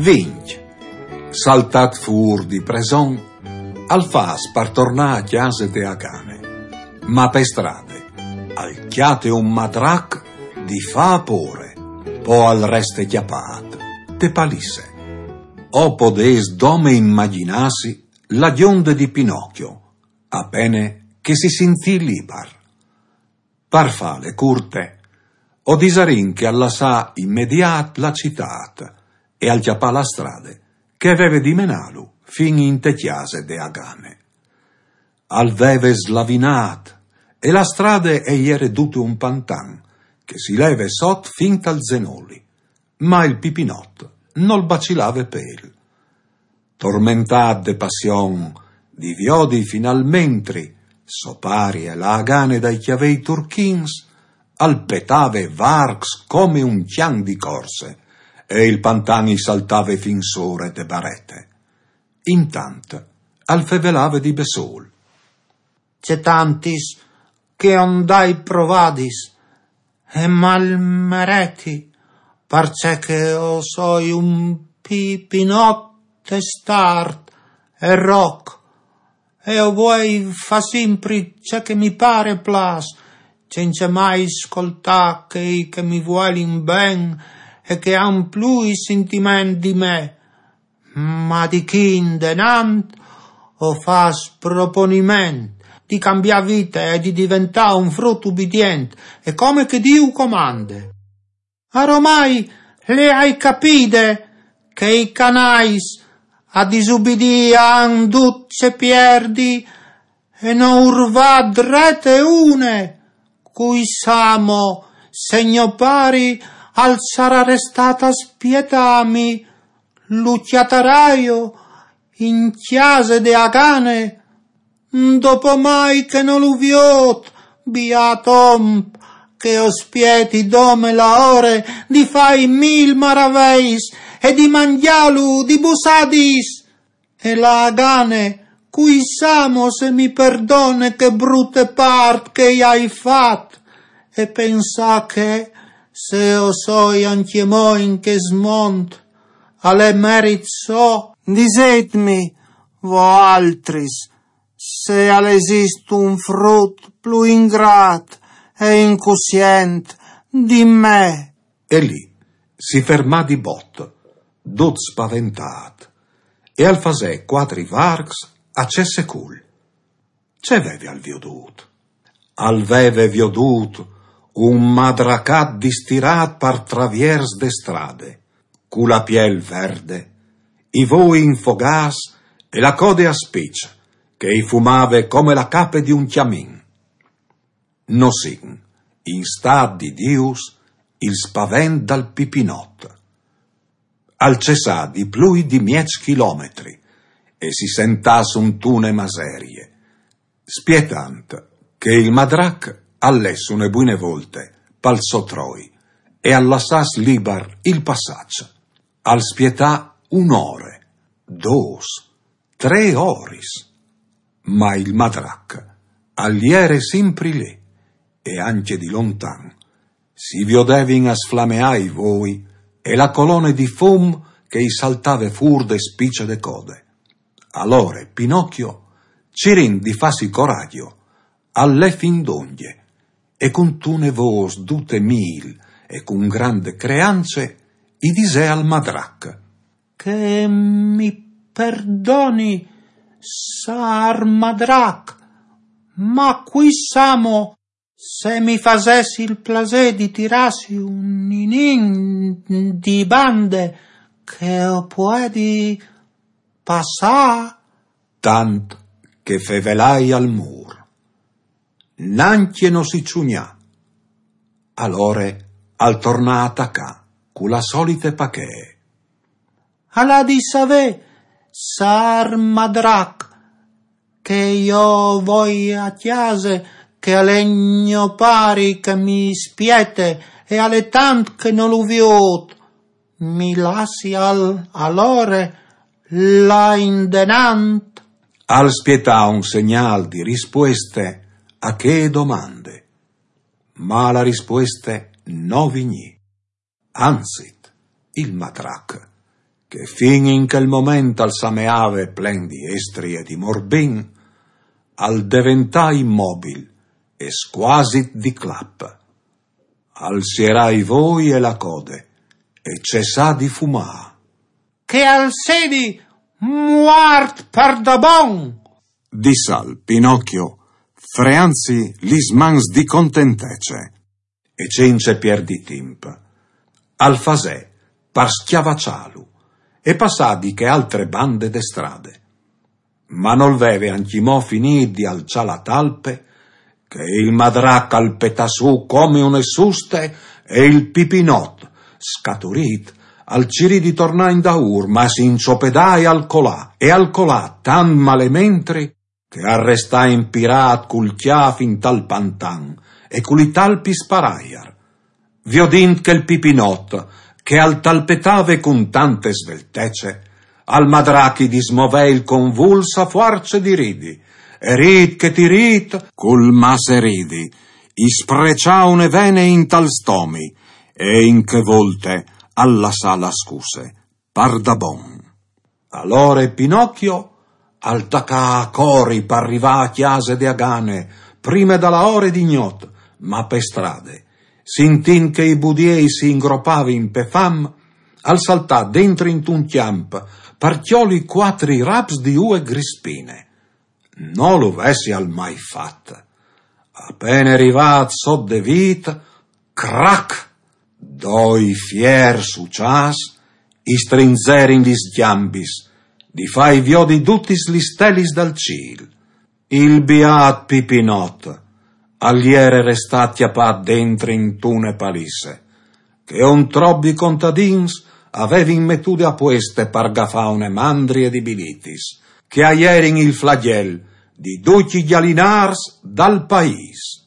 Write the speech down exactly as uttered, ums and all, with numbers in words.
Vincj. Saltât fûr di preson, al fâs par tornâ a cjase de Agane. Ma pe strade al cjate un madrac di fâ pôre, po al reste cjapât te palisse. O podês dome imagjinâsi la gjonde di Pinocchio, a pene che si sintì libar. Par fâle curte, o disarìn che al lassà imediât la citât e al cjapà la strade che e veve di menâlu fin inte cjase de Agane. Al veve slavinât e la strade e jere dute un pantan che si leve sot fin tal zenoli, ma il Pipinot nol bacilave pêl. Tormentât de passion di viodi finalmentri so pari e la Agane dai cjavei turchins, al petave varcs come un cjan di corse e il pantan i saltave fin sore de barete. Intant al fevelave di bessôl. Ce tantis che o 'nd ai provadis e mal mereti, parcè che o soi un Pipinot testart e roc, e o vuei fâ simpri ce che mi pâr e plâs, cence mai scoltâ chei che mi vuelin ben e che àn plui sintiment di me. Ma di chi indenant o fâs proponiment di cambiâ vite e di diventâ un frut ubidient e come che Diu comande. Aromai le ai capide che i canais a disubidî a àn dut ce pierdi e no ur va drete une. Cui sa mo se gno pari al sarà restât a spietâmi, lu cjataraio in cjase de Agane, dopo mai che no lu viôt, biât om, che o spieti dome la ore di fâi mil maraveis e di mangjâlu di bussadis. E la Agane, cui sa mo se mi perdone che brute part che i ai fat, e pensâ che, se o soi ancjemò in chest mont, al è merit so. Disêtmi, voaltris, se al esist un frut plui ingrât e incussient di me. E li si fermà di bot, dut spaventât, e al fasè cuatri varcs a cesse cul. Ce veve al viodût? Al veve viodût un madracat distirât par traviers de strade, cu la piel verde, i voi infogâts e la code a spiç, che i fumave come la cape di un cjamin. No sin, in stât di Dius, il spavent dal Pipinot. Al cessà di plui di mieç chilometri e si sentà suntune maserie, spietant che il madrac al lès une buine volte pal so troi e al lassàs libar il passaç. Al spietà une ore, dôs, trê oris, ma il madrac al jere simpri li e ancje di lontan si viodevin a sflameâ i voi e la colone di fum che i saltave fûr de spice de code. Alore Pinocchio, cirint di fâsi coragjo, al lè fin dongje e cuntune vôs dute mîl e cun grande creance i disè al madrac: Che mi perdoni, sâr madrac, ma cui sa mo se mi fasès il plasê di tirâsi un ninin di bande che o puedi passâ? Tant che fevelai al mûr. Nancje no si çugnà. Alore al tornà a tacâ cu la solite pachee. Al à di savê, sâr madrac, che jo o voi a cjase, che al è gno pari che mi spiete e al è tant che no lu viôt. Mi lassial alore lâ indenant? Al spietà un segnâl di rispueste a chê domande, ma la rispueste no vignì. Anzit, il madrac che fin in chel moment al sameave plen di estri e di morbin, al deventà immobil e squasit di clap. Al sierà i voi e la code e cessà di fumà. «Che al sedi muart par da bon!», dissal Pinocchio, freanzi lis mans di contentece. E cence pierdi timp, al fasè par schiavaccialu e passà di che altre bande de strade. Ma nol veve ancjimò finì di alçà la talpe, che il madrac al petà su come une suste, e il Pipinot, scaturit, al cirì di tornà indaur, ma si inçopedà e al colà, e al colà tant malementri, che al restà impirat cul cjâf intal pantan e cu li talpis par aiar. Viodint chel Pipinot, che al talpetave cun tante sveltece, al madrac i dismovè il convuls a fuarce di ridi, e rid che ti rid, cul masse ridi, i spreçà une vene intal stomi, e in che volte al lassà la scusse par da bon. Alore Pinocchio al tacà a cori par rivâ a cjase de Agane, prime da la ore di gnot, ma pe strade, sintint che i budiei si ingropavin pe fam, al saltà dentri intun cjamp par cjoli cuatri raps di ue grispine. No lu vessial mai fat. A pene rivât sot de vît, crac! Doi fiers uçâs i strinzerin lis gjambis, di fâi viodi dutis lis stelis dal cîl. Il biât Pipinot al jere restât cjapât dentri intune palisse, che un trop di contadins a vevin metude a pueste par gafâ une mandrie di bilitis, che a jerin il flagjel di ducj i gjalinârs dal paîs.